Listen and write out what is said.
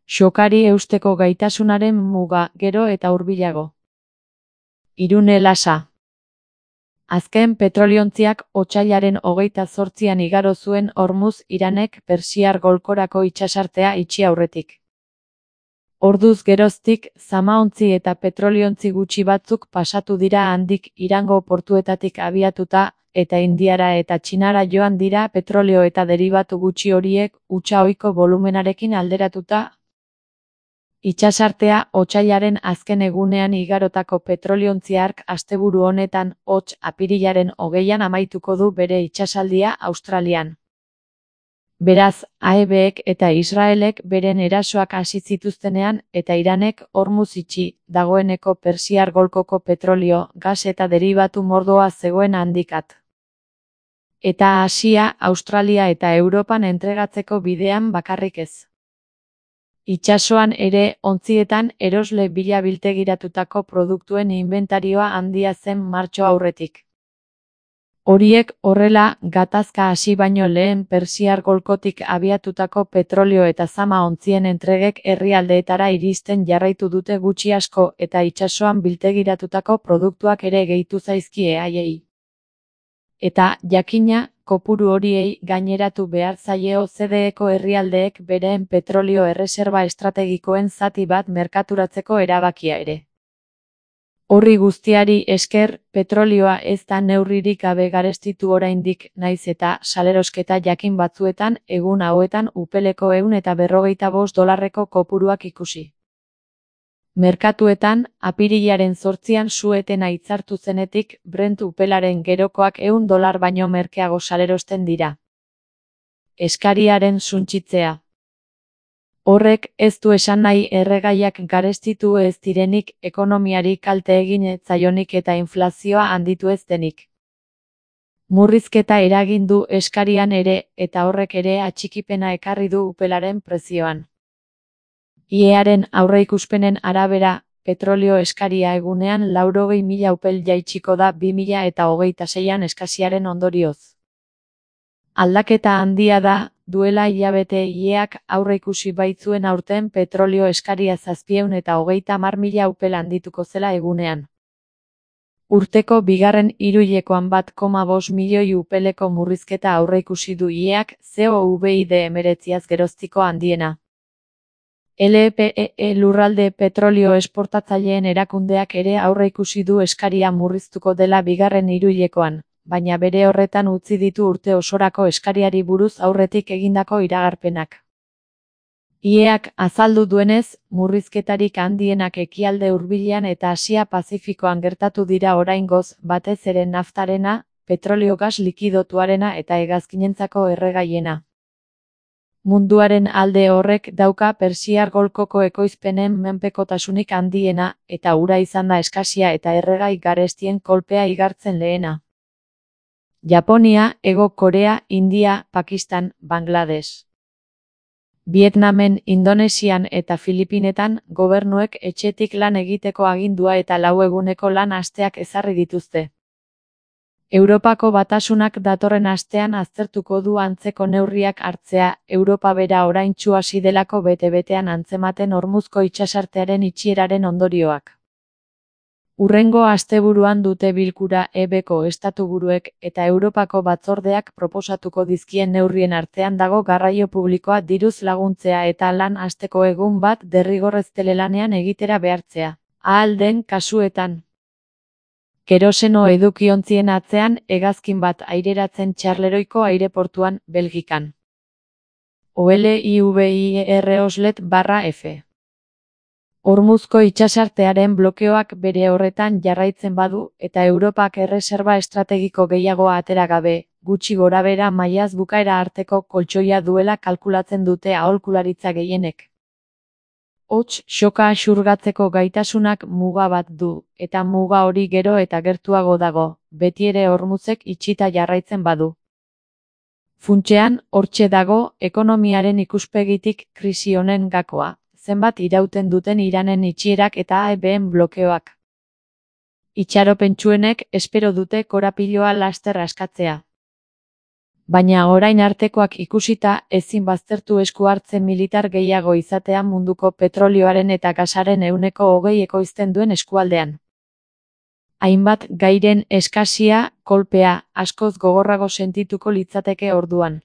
Shokari eusteko gaitasunaren muga, gero eta hurbilago. Irune Lasa. Azken petroliontziak otsailaren 28an igaro zuen Hormuz Iranek Persiar golkorako itsasartea itxi aurretik. Orduz geroztik, zamaontzi eta petroliontzi gutxi batzuk pasatu dira handik Irango portuetatik abiatuta, eta Indiara eta Txinara joan dira petrolio eta deribatu gutxi horiek hutsa ohiko volumenarekin alderatuta. Itsasartea otsailaren azken egunean igarotako petroliontzi hark asteburu honetan, hots, apirilaren 20an amaituko du bere itsasaldia Australian. Beraz, AEBek eta Israelek beren erasoak hasi zituztenean eta Iranek Hormuz itxi dagoeneko Persiar golkoko petrolio, gas eta deribatu mordoa zegoen handikat. Eta Asia, Australia eta Europan entregatzeko bidean bakarrik ez. Itsasoan ere, ontzietan erosle bila biltegiratutako produktuen inbentarioa handia zen martxo aurretik. Horiek horrela, gatazka hasi baino lehen Persiar golkotik abiatutako petrolio eta zama ontzien entregek herrialdeetara iristen jarraitu dute gutxi asko eta itsasoan biltegiratutako produktuak ere gehitu zaizkie haiei. Eta, jakina, kopuru horiei gaineratu behar zaie OCDEko herrialdeek bereen petrolio erreserba estrategikoen zati bat merkaturatzeko erabakia ere. Horri guztiari esker, petrolioa ez da neurririk gabe garestitu oraindik, naiz eta salerosketa jakin batzuetan egun hauetan upeleko $145 kopuruak ikusi. Merkatuetan, apirilaren 8an su-etena hitzartu zenetik, Brent upelaren gerokoak $100 baino merkeago salerosten dira. Eskariaren suntsitzea. Horrek ez du esan nahi erregaiak garestitu ez direnik, ekonomiari kalte egin ez zaionik eta inflazioa handitu ez denik. Murrizketa eragin du eskarian ere, eta horrek ere atxikipena ekarri du upelaren prezioan. IEaren aurreikuspenen arabera, petrolio eskaria egunean 80.000 upel jaitsiko da 2026an eskasiaren ondorioz. Aldaketa handia da, duela hilabete IEak aurreikusi baitzuen aurten petrolio eskaria 730.000 upel handituko zela egunean. Urteko bigarren hiruhilekoan 1,5 milioi upeleko murrizketa aurreikusi du IEak, COVID-19 geroztiko handiena. LPE lurralde petrolio esportatzaileen erakundeak ere aurreikusi du eskaria murriztuko dela bigarren hiruhilekoan, baina bere horretan utzi ditu urte osorako eskariari buruz aurretik egindako iragarpenak. IEak azaldu duenez, murrizketarik handienak ekialde hurbilean eta Asia Pazifikoan gertatu dira oraingoz, batez ere naftarena, petrolio gas likidotuarena eta hegazkinentzako erregaiena. Munduaren alde horrek dauka Persiar golkoko ekoizpenen menpekotasunik handiena, eta ura izan da eskasia eta erregai garestien kolpea igartzen lehena. Japonia, Hego Korea, India, Pakistan, Bangladesh. Vietnamen, Indonesian eta Filipinetan, gobernuek etxetik lan egiteko agindua eta 4 eguneko lan asteak ezarri dituzte. Europako Batasunak datorren astean aztertuko du antzeko neurriak hartzea, Europa bera oraintsu hasi delako bete-betean antzematen Hormuzko itsasartearen itxieraren ondorioak. Hurrengo asteburuan dute bilkura EBko estatuburuek eta Europako batzordeak proposatuko dizkien neurrien artean dago garraio publikoa diruz laguntzea eta lan asteko egun bat derrigorrez telelanean egitera behartzea, ahal den kasuetan. Keroseno edukiontzien atzean hegazkin bat aireratzen Txarleroiko aireportuan, Belgikan. OLIVIR Oslet/F. Hormuzko itsasartearen blokeoak bere horretan jarraitzen badu eta Europak erreserba estrategiko gehiago atera gabe, gutxi gorabehera mailaz bukaera arteko koltxoia duela kalkulatzen dute aholkularitza gehienek. Hots, shoka xurgatzeko gaitasunak muga bat du, eta muga hori gero eta gertuago dago, betiere Hormuzek itxita jarraitzen badu. Funtsean, hortxe dago, ekonomiaren ikuspegitik krisi honen gakoa, zenbat irauten duten Iranen itxierak eta AEBen blokeoak. Itxaropentsuenek espero dute korapiloa laster askatzea. Baina orain artekoak ikusita, ezin baztertu esku hartze militar gehiago izatea munduko petrolioaren eta gasaren 20% ekoizten duen eskualdean. Hainbat gairen eskasia, kolpea, askoz gogorrago sentituko litzateke orduan.